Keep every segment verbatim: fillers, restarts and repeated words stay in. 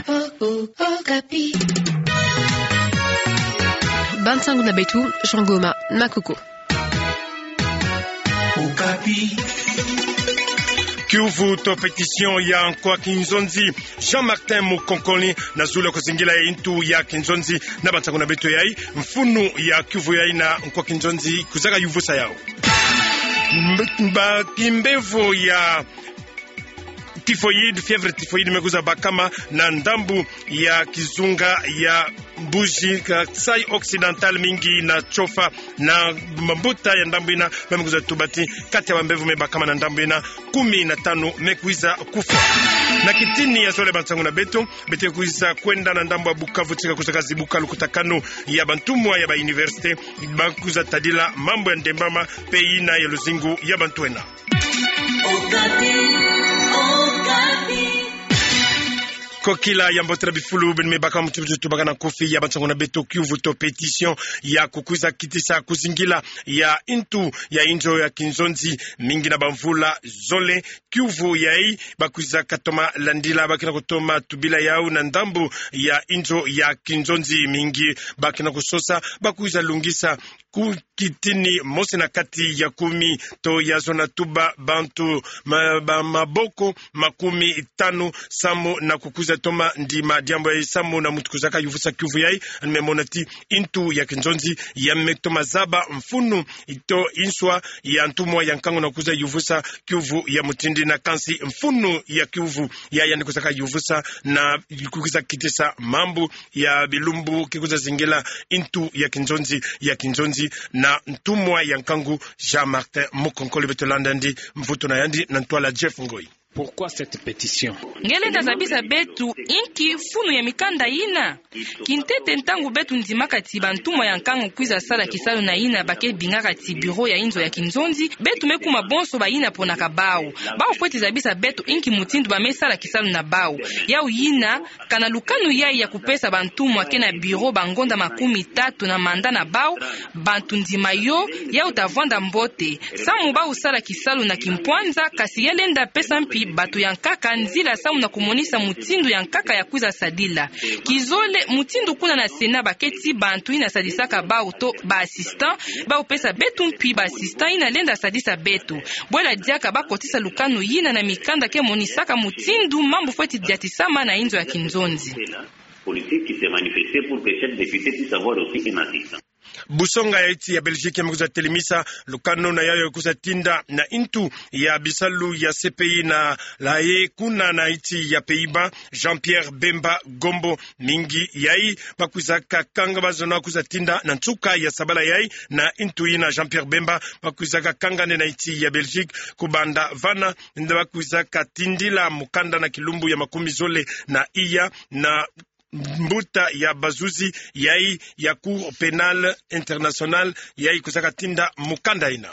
Oh, oh, Okapi. Bansango na beto, Jean Goma Makoko. Okapi. Kiuvu to pétition ya nkwa kinzonzi, Jean Martin Mukonkoli, na zulu ya kuzingila ntu ya kinzonzi na bansango na beto yayi, mfunu ya kiuvu yayi na nkwa kinzonzi kuzaka yuvusa yau. Mb-, mba kimbevo ya typhoïde, fièvre typhoïde me kwiza bakama na ndambu ya kizunga ya Mbuji Kasaï Occidental, mingi na Tshofa na mambuta ya ndambu yina, ba me kwiza tuba ti kati ya bambevo me bakama na ndambu yina, kumi na tanu me kwiza kufwa. Na kitini ya zole bansango na beto, beto kwiza kwenda na ndambu ya Bukavu, tika kuzaka zibuka lukutakanu ya bantumwa ya ba université, ba kwiza tadila mambu ya ndembama pe yina ya luzingu ya bantu ena. Okapi, Okapi. Kokila ya mbote na bifulu beno me baka muti muti tubaka na nkufi ya bansango na beto, kiuvu to pétition ya kukwiza kitisa kuzingila ya ntu ya inzo ya kinzonzi, mingi na bamvula zole. Kiuvu yayi ba kwiza katoma landila, ba kena kutoma tubila yau na ndambu ya inzo ya kinzonzi, mingi ba kena kusosa, ba kwiza lungisa ku kitini mosi na kati ya kumi, to ya zona tuba bantu ma-, ba-, maboko makumi tanu samu na kukwiza toma ndima diambu yayi samu na mutu kuzaka yuvusa kiuvu yayi, ani me mona ti ntu ya kinzonzi ya me toma zaba mfunu to nswa ya ntumwa ya nkangu na kwiza yuvusa kiuvu ya mutindu yina, kansi mfunu ya kiuvu ya yandi kuzaka yuvusa na kukwiza kitisa mambu ya bilumbu ki kwiza zingila ntu ya kinzonzi, ya kinzonzi na ntumwa ya nkangu Jean Martin Mukonkoli. Beto landa ndi mvutu na yandi na ntwala Jeff Ngoi. Pourquoi cette pétition ? Nge lenda zabisa beto inki mfunu ya mikanda yina? Kintete, ntangu beto ndimaka ti bantumwa ya nkangu kwiza sala kisalu na yina ba ke bingaka ti bureau ya inzo ya kinzonzi, beto me kuma bonso bayina ponaka bau. Bau fweti zabisa beto inki mutindu ba me sala kisalu na bau. Yau yina, kana lukanu yayi ya kupesa bantumwa ke na bureau bangonda makumi tatu na mandat na bau, bantu ndima yo, yau ta vwanda mbote. Samu bau sala kisalu na kimpwanza, kasi ya lenda pesa mpi bato ya nkaka nzila samu na kumonisa mutindu ya nkaka ya kwiza sadila. Kizole, mutindu kuna na Sénat ba ke ti bantu yina sadisaka bau to ba assistant, bau pesa beto mpi ba assistant yina lenda sadisa beto. Bwela diaka ba kotisa lukanu yina na mikanda ke monisaka mutindu mambu fweti diatisama na inzo ya kinzonzi. Politique qui s'est manifestée pour que chaque député puisse avoir aussi un assistant. Busonga ya nsi ya Belgique ya me kwiza telemisa lukanu na yau ya kwiza tinda na ntu ya bisalu ya C P I na La Haye, kuna na nsi ya Pays-Bas, Jean-Pierre Bemba Gombo. Mingi yayi ba kwiza kakanga, ba zona kwiza tinda na nsuka ya sabala yayi na ntu yina Jean-Pierre Bemba, ba kwiza kakanga nde na nsi ya Belgique, kubanda vana nde ba kwiza katindila mukanda na kilumbu ya makumi zole na iya na mbuta ya bazuzi yayi ya Cour pénale internationale yayi kwiza katinda mukanda yina.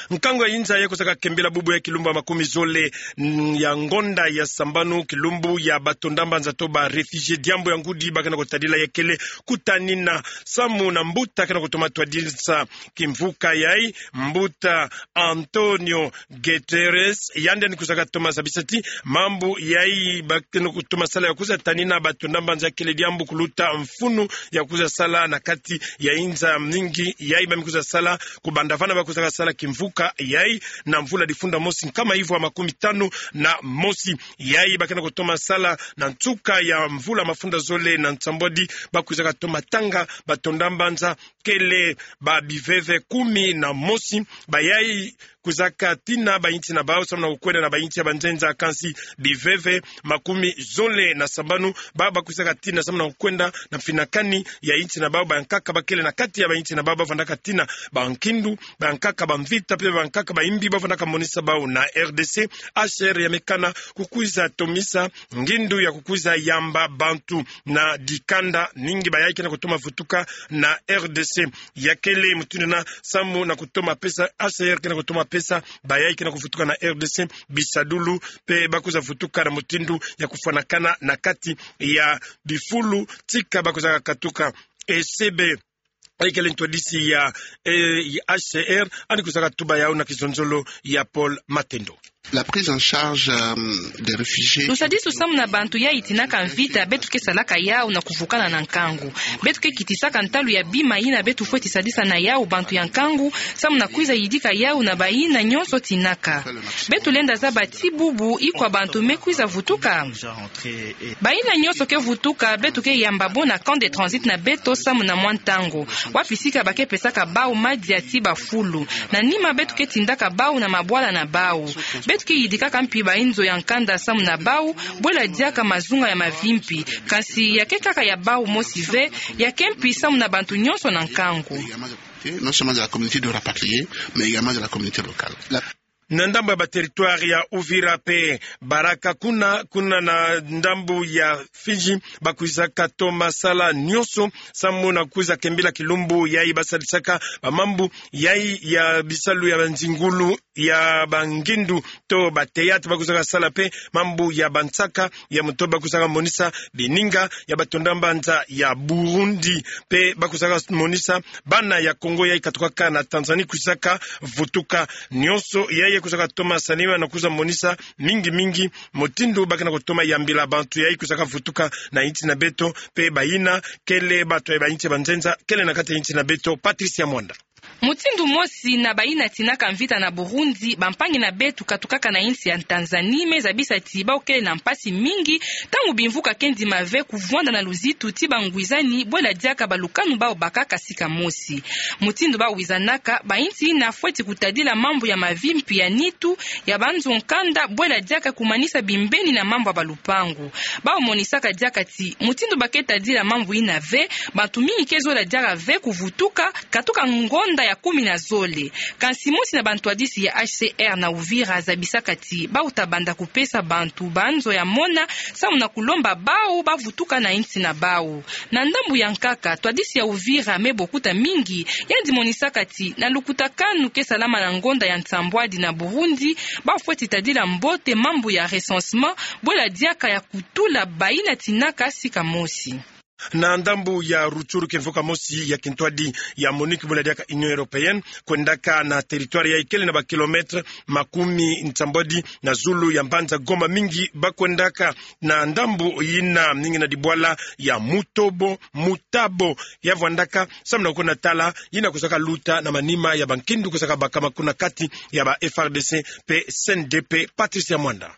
Nkangu ya inza yayi kwiza kakembela bubu ya kilumbu ya makumi zole, mm, ya ngonda ya sambanu, kilumbu ya bato ndamba nza to ba réfugiés, diambu ya ngudi ba kena kutadila ya kele kutanina samu na mbuta kena kutoma twadisa kimvuka yayi, mbuta António Guterres, yandi ni kwiza katoma zabisa ti mambu yayi ba kena kutoma sala ya kwiza tanina bato ndamba nza kele diambu kuluta mfunu ya kwiza sala na kati ya inza mingi yayi ba me kwiza sala, kubanda vana ba kwiza kasala kimvuka yayi na mvula difunda mosi nkama ivwa makumi tanu na mosi. Yayi ba kena kutoma sala na nsuka ya mvula mafunda zole na nsambwadi, ba kwiza katoma tanga bato ndamba nza kele ba biveve kumi na mosi, bayayi kwiza katina ba nsi na bau samu na kukwenda na ba nsi ya banzenza, kansi biveve makumi zole na sambanu ba, ba kwiza katina samu na kukwenda na mfinakani ya nsi na bau. Bankaka ba kele na kati ya ba nsi na bau ba vandaka tina, bankindu, bankaka ba mvita pe bankaka ba imbi ba vandaka monisa bau na R D C. H C R ya me kana kukwiza tomisa ngindu ya kukwiza yamba bantu na dikanda mingi bayayi kena kutoma vutuka na R D C. Ya kele mutindu yina samu na kutoma pesa, H C R kena kutoma pesa bayayi kena kuvutuka na R D C bisadulu pe ba kwiza vutuka na mutindu ya kufwanakana na kati ya bifulu tika ba kwiza kakatuka. E C B, yayi kele ntwadisi ya, eh, ya H C R, ani kwiza katuba yau na kizonzolo ya Paul Matendo. La prise en charge, euh, des réfugiés. Lusadisu samu na bantu yayi tinaka mvita, beto ke salaka yawu na kuvukana na nkangu. Beto ke kitisaka ntalu ya bima yina beto fweti sadisa na yawu bantu ya nkangu, samu na kwiza yidika yawu na bayina nyonso tinaka. Beto lenda zaba ti bubu ikwa bantu me kwiza vutuka. Bayina nyonso ke vutuka, beto ke yamba bo na camp de transit na beto samu na mwa ntangu. Wapi sika ba ke pesaka bawu madia ti bafulu. Na nima beto ke tindaka bawu na mabwala na bawu. Beto ke yidikaka mpi bayinzo ya nkanda samu na bawu, bwela diaka mazunga ya mavimpi. Kansi ya ke kaka ya bawu mosi ve, ya ke mpi samu na bantu nyonso na nkangu. Non seulement de la communauté de rapatriés, mais également de la communauté locale. La Na ndambu ya ba territoire ya Uvira pe Baraka kuna, kuna na ndambu ya Fidji, ba kwizaka toma sala nyonso samu na kwiza kembila kilumbu yayi ba sadisaka ba mambu yayi ya bisalu ya banzingulu ya bangindu to ba théâtre, ba kwizaka sala pe mambu ya bansaka ya moto, ba kwizaka monisa bininga ya batonda mbanza ya Burundi, pe ba kwizaka monisa bana ya Kongo yayi katukaka na Tanzanie kwizaka vutuka. Nyonso yayi kwizaka toma salama na kwiza monisa mingi mingi mutindu ba ke na kutoma yambila bantu yayi kwizaka vutuka na insi na beto, pe bayina kele bantu ya ba insi ya banzenza kele na kati ya insi na beto. Patricia Mwanda. Mutindu mosi na bayina tinaka mvita na Burundi, bampangi na beto katukaka na insi ya Tanzanie me zabisa ti bawu kele na mpasi mingi, ntangu bimvuka ke ndima ve kuvwanda na luzitu ti bangwizani, bwela diaka balukanu bawu bakaka sika mosi. Mutindu bawu wizanaka, ba insi yina fweti kutadila mambu ya mavimpi ya nitu, ya banzo nkanda, bwela diaka kumanisa bimbeni na mambu ya balupangu. Bawu monisaka diaka ti mutindu ba ke tadila mambu yina ve, bantu mingi ke zola diaka ve kuvutuka, katuka ngonda ya kumi na zole. Kansi mosi na bantwadisi ya H C R na Uvira zabisaka ti bawu ta banda kupesa bantu banzo ya mona, samu na kulomba bawu bavutuka na insi na bawu. Na ndambu ya nkaka, ntwadisi ya Uvira Me Bokuta Mingi, yandi monisaka ti na lukutakanu ke salama na ngonda ya nsambwadi na Burundi, bawu fweti tadila mbote mambu ya recensement, bwela diaka ya kutula bayina tinaka sika mosi. Na ndambu ya Rutshuru, kimvuka mosi ya kintwadi ya MONUC, bwela diaka Union Européenne, kwendaka na territoire yayi kele na ba kilomètres makumi nsambwadi na zulu ya mbanza Goma. Mingi ba kwendaka na ndambu yina, mingi na dibwala ya Mutobo, Mutabo, ya vwandaka samu na kukuna tala yina kwizaka luta na manima ya bankindu kwizaka bakama kuna kati ya ba F R D C pe C N D P. Patricia Mwanda.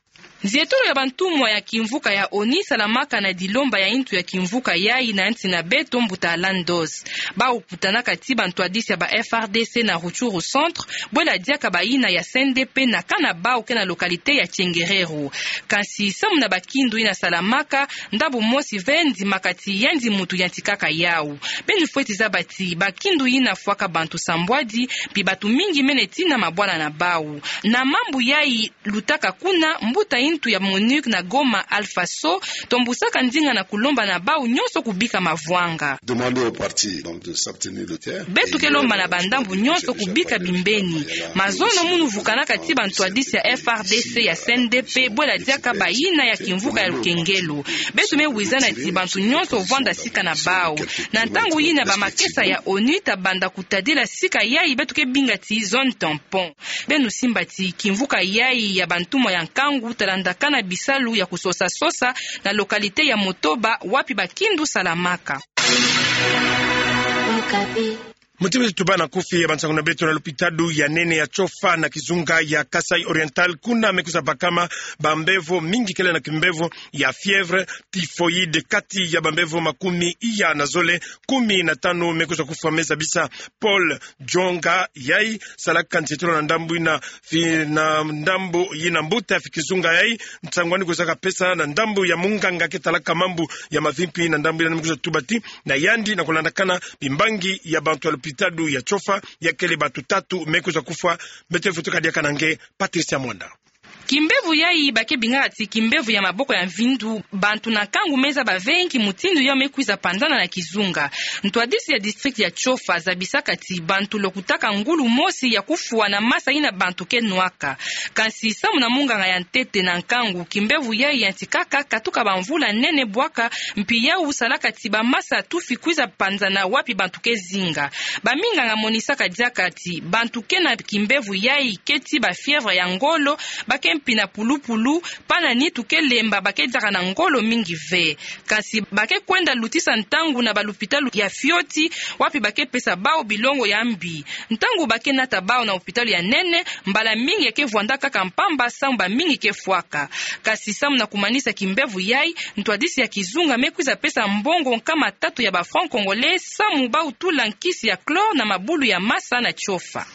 Nzietolo ya bantumwa ya kimvuka ya ONU salamaka na dilomba ya intu ya kimvuka yayi na nsi na beto, mbuta Alan Doss. Bawu kutanaka ti bantwadisi ya ba F R D C na Rutshuru Centre, bwela diaka bayina ya C N D P na camp na bawu ke na localité ya Tchenguerero. Kansi samu na bakindu yina salamaka, ndambu mosi ve ndimaka ti yandi muntu yantikaka yawu. Beno fweti zaba ti bakindu yina fwaka bantu sambwadi, mpi bantu mingi mene tina mabwala na bawu. Na mambu yayi lutaka kuna, mbuta intu ya MONUC na Goma, Alpha Sow, tombusaka ndinga na kulomba na bawu nyonso kubika mavwanga. Demander aux parties, donc, de s'abstenir de terre. Beto ke lomba na bandambu nyonso kubika bimbeni. Mazono munu vukanaka ti bantwadisi ya F R D C, ya C N D P, bwela diaka bayina ya kimvuka ya lukengelo. Beto me wizana ti bantu nyonso vwanda sika na bawu. Na ntangu yina bamakesa ya ONU ta banda kutadila sika yayi beto ke binga ti zone tampon. Beno simba ti kimvuka yayi ya bantumwa ya nkangu ta landakana bisalu ya kusosa-sosa na localité ya Motoba, wapi bakindu salamaka. Mutima ti tubana kufi ya bansangu na beto. Na lopitalo ya nene ya Tshofa na kizunga ya Kasaï Oriental, kuna me kwiza bakama bambevo mingi kele na kimbevo ya fièvre typhoïde. Kati ya bambevo makumi iya na zole, kumi na tanu me kwiza kufwa, me zabisa Paul Djonga, yayi salaka nzietolo na ndambu yina fi-, na ndambu yina mbuta ya fikizunga yayi. Nsangwani kwizaka pesa na ndambu ya munganga ke talaka mambu ya mavimpi na ndambu yina, me kwiza tuba ti na yandi, na kulandakana bimbangi ya bantu ya lopitalo ya Tshofa, ya kele bantu tatu me kwiza kufwa. Mbeto vutuka diaka na nge, Patricia Mwanda. Kimbevo yayi ba ke bingaka ti kimbevo ya maboko ya mvindu, bantu na nkangu me zaba ve nki mutindu yawu me kwiza panzana na kizunga. Ntwadisi ya district ya Tshofa zabisaka ti bantu lokutaka ngulu mosi ya kufwa na masa yina bantu ke nwaka. Kansi samu na munganga ya ntete na nkangu, kimbevo yayi yantikaka katuka bamvula nene bwaka, mpi yawu salaka ti bamasa tufi kwiza panzana wapi bantu ke zinga. Baminganga monisaka diaka ti bantu ke na kimbevo yayi ke ti bafièvre ya ngolo, ba ke mpina pulupulu, pana nitu ke lemba ba ke diaka na ngolo mingi ve. Kasi ba ke kwenda lutisa ntangu na balupitalu ya fioti, wapi ba ke pesa bau bilongo ya mbi. Ntangu ba ke nata bau na lupitalu ya nene, mbala mingi ya ke vwanda kaka mpamba samu bamingi ke fwaka. Kasi samu na kumanisa kimbevo yai, ntwadisi ya kizunga me kwiza pesa mbongo nkama tatu ya ba francs congolais samu bau tula nkisi ya chlore na mabulu ya masa na tiofa.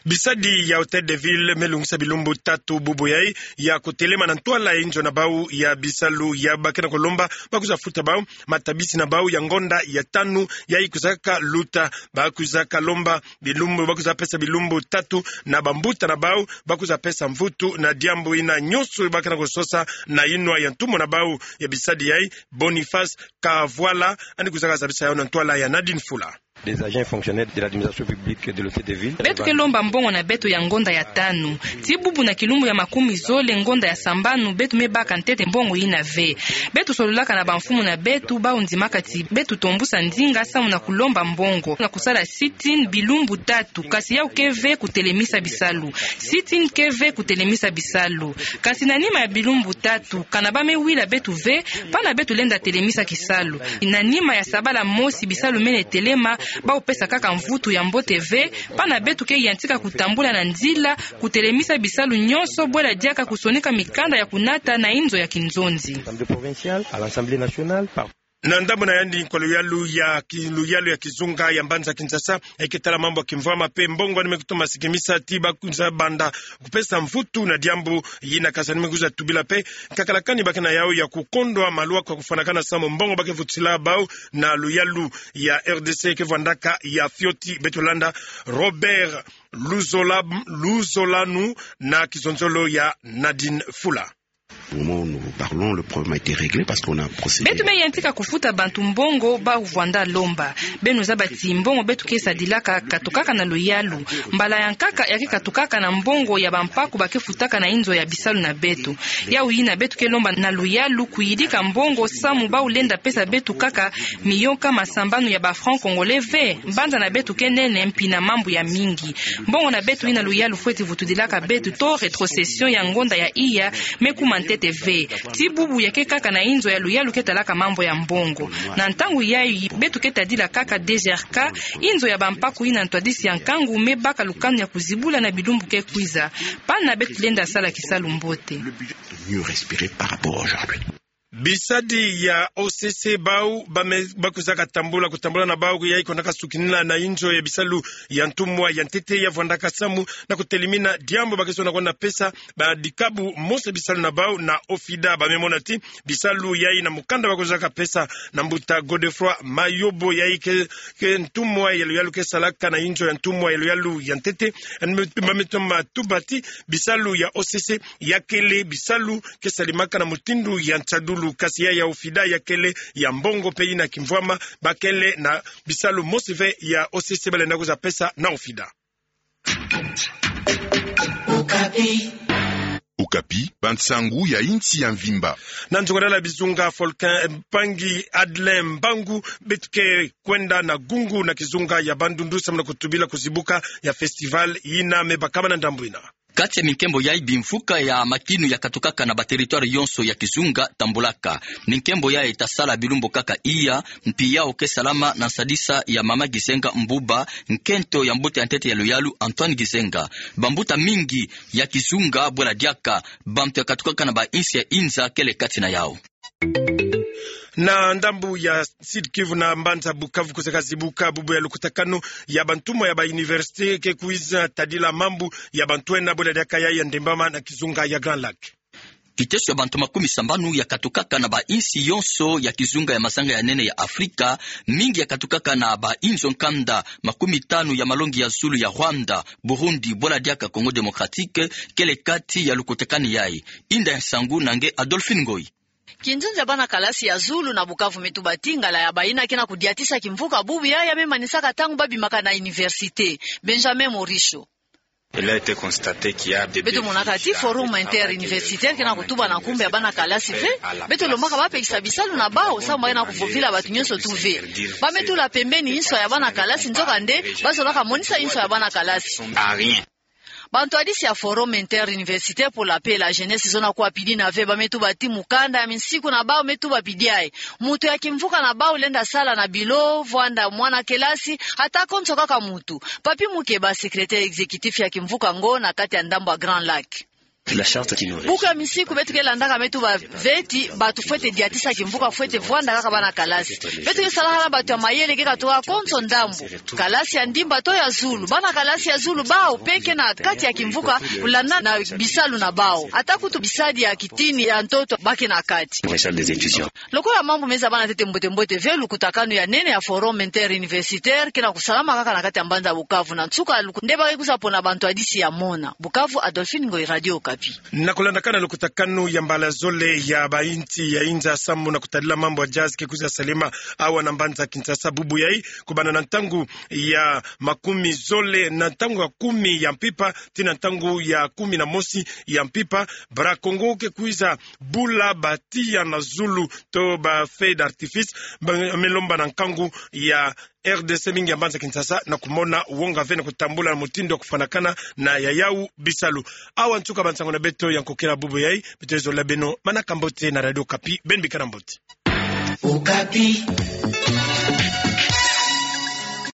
Bisadi ya Hôtel de Ville me lungisa bilumbu tatu bubu yai ya kutelema na ntwala ya inzo na bau ya bisalu ya ba ke na kulomba ba kwiza futa bau matabisi na bau ya ngonda ya tanu yai kwiza ka luta. Ba kwiza ka lomba bilumbu, ba kwiza pesa bilumbu tatu na bambuta na bau, ba kwiza pesa mvutu na diambu ina nyonso ba ke na kusosa na inwa ya ntumwa na bau ya bisadi yai, Boniface Kavwala, yandi kwiza ka zabisa yau na ntwala ya Nadine Fula. Des agents fonctionnaires de l'administration publique de l'Hôtel de Ville. Beto ke lomba mbongo na beto ya ngonda ya tanu. Ti bubu na kilumbu ya makumi zole ngonda ya sambanu beto me baka ntete mbongo ina ve. Beto sololaka na bamfumu na beto, bau ndimaka ti beto tombusa ndinga samu na kulomba mbongo na kusala sit-in bilumbu tatu, kasi yau ke ve kutelemisa bisalu. Sit-in ke ve kutelemisa bisalu. Kasi na nima ya bilumbu tatu, kana ba me wila beto ve, pana beto lenda telemisa kisalu. Na nima ya sabala mosi bisalu mene telema, bau pesa kaka mvutu ya mbote ve, pana beto ke yantika kutambula na nzila, kutelemisa bisalu nyonso, bwela diaka kusonika mikanda ya kunata na inzo ya kinzonzi. Assemblée provinciale, à l'Assemblée nationale, par- Na ndambu na yandi, nkwa luyalu ya ki-, luyalu ya kizunga ya mbanza Kinshasa, yai ke tala mambu ya kimvwama pe mbongo, yandi me kutoma sikimisa ti ba kwiza banda kupesa mvutu na diambu yina, kasi yandi me kwiza tubila pe nkakala kani ba ke na yau ya kukondwa maluwa kwa kufwanakana samu mbongo ba ke vutisila bau na luyalu ya R D C ke vwandaka ya fioti. Beto landa Robert Luzola-, Luzolanu na kizonzolo ya Nadine Fula. Au moment où nous parlons, le problème a été réglé parce qu'on a procédé. Beto me yantika kufuta bantu mbongo bau vwanda lomba. Beno zaba ti mbongo beto ke sadilaka katukaka na luyalu. Mbala ya nkaka ya ke katukaka na mbongo ya bampaku ba ke futaka na inzo ya bisalu na beto. Yau yina beto ke lomba na luyalu kuyidika mbongo samu bau lenda pesa beto kaka miyo nkama sambanu ya ba francs congolais ve. Mbanza na beto ke nene, mpina mambu ya mingi. Mbongo na beto yina luyalu fweti vutudilaka beto to rétrocession ya ngonda ya iya me kuma ntete ve. Ti bubu ya ke kaka na inzo ya luyalu ke talaka mambu ya mbongo. Na ntangu yai beto ke tadila kaka D G R K, inzo ya bampaku yina ntwadisi ya nkangu me baka lukanu ya kuzibula na bilumbu ke kwiza. Pana beto lenda sala kisalu mbote. Mieux respirer par rapport aujourd'hui. Bisadi ya O C C bau ba me, ba kwiza katambula, kutambula na bau yai kwenda kasukinina na inzo ya bisalu ya ntumwa ya ntete ya vwandaka samu na kutelemina diambu ba ke sona kwenda pesa ba dikabu mosi bisalu na bau na OFIDA. Ba me mona ti bisalu yai na mukanda ba kwiza kapesa na mbuta Godefroid Mayobo yai ke, ke ntumwa ya luyalu ke salaka na inzo ya ntumwa ya luyalu ya ntete. Yandi me, ba me toma tuba ti bisalu ya O C C ya kele bisalu ke salemaka na mutindu ya nsadulu, kasi ya, ya OFIDA ya kele ya mbongo pe yina kimvwama, ba kele na bisalu mosi ve ya O C C ba lenda kwiza pesa na OFIDA. Okapi. Okapi, bansangu ya insi ya mvimba. Na nzongadala bizunga, Volcan, mpangi Adelin Mbangu, beto ke kwenda na Gungu na kizunga ya Bandundu samu na kutubila kuzibuka ya festival yina me bakama na ndambu yina. Kati ya minkembo yai, bimvuka ya makinu ya katukaka na ba territoire yonso ya kizunga tambulaka. Minkembo yai ta sala bilumbu kaka iya, mpi yau ke salama na nsadisa ya mama Gizenga Mbuba, nkento ya mbuta ya ntete ya luyalu Antoine Gizenga. Bambuta mingi ya kizunga, bwela diaka bantu ya katukaka na ba insi ya inza kele kati na yau. Na ndambu ya Sud-Kivu na mbanza Bukavu kwiza kazibuka bubu ya lukutakanu ya bantumwa ya ba université ke kwiza tadila mambu ya bantu ena, bwela diaka yai ya ndembama na kizunga ya Grand Lac. Kiteso ya bantu makumi sambanu ya katukaka na ba insi yonso ya kizunga ya mazanga ya nene ya Afrika, mingi ya katukaka na ba inzo nkanda makumi tanu ya malongi ya zulu ya Rwanda, Burundi, bwela diaka Congo Démocratique, kele kati ya lukutakanu yai. Inda ya nsangu na nge Adolphine Ngoyi. Kinzonzi ya bana kalasi ya zulu na Bukavu me tuba ti ngala ya bayina ke na kudiatisa kimvuka bubu yai ya me manisaka ntangu ba bimaka na université. Benjamin Morisho. Il a été constaté qu'il y a des... Beto monaka ti forum interuniversitaire ke na kutuba na nkumbu ya bana kalasi ve. Beto lombaka ba pekisa bisalu na bau samu ba ke na kuvovila bantu nyonso tu ve. Ba me tula pembeni inso ya bana kalasi, nzokande ba zolaka monisa inso ya bana kalasi. À rien. Bantu hadisi ya Forum Interuniversitaire pour la Paix et la Jeunesse zona kuwa pidi na ve ba me tuba ti mukanda ya minsiku na bau me tuba pidi ayi. Moto ya kimvuka na bau lenda sala na bilo, vwanda mwana kelasi, ata konso kaka moto. Papy Moukéba, secrétaire exécutif ya kimvuka ngo na kati ya ndambu ya Grand Lac. Buku ya minsiku beto ke landaka me tuba ve ti bato fwete diatisa kimvuka, fwete vwanda kaka bana kalasi. Beto ke salaka na bantu ya mayele ke katoka konso ndambu. Kalasi ya ndimba to ya zulu. Bana kalasi ya zulu bau pe ke na kati ya kimvuka, kulanda na bisalu na bau. Ata kutu bisadi ya kitini ya ntoto ba ke na kati. Lokola mambu me zabana ntete mbote-mbote ve lukutakanu ya nene ya Forum Interuniversitaire ke na kusalama kaka na kati ya mbanza Bukavu, na nsuka luku-, nde ba ke kwiza pona bantu hadisi ya mona. Bukavu, Adolphine Ngoyi, Radio Okapi. Na kulandakana lukutakanu ya mbala zole ya bayinsi ya inza samu na kutadila mambu ya jazz ke kwiza salema awa na mbanza Kinshasa bubu yayi, kubanda na ntangu ya makumi zole, na ntangu ya kumi ya mpimpa tii na ntangu ya kumi na mosi ya mpimpa, Bra Kongo ke kwiza bula ba tiya na zulu to ba feu d'artifice, ba me lomba na nkangu ya R D C mingi ya mbanza Kinshasa na kumona wonga ve na kutambula na mutindu ya kufwanakana na yayau bisalu. Awa nsuka bansango na beto ya nkokela bubu yayi. Beto zola beno manaka mbote na Radio Okapi, beno bikana mbote. Okapi.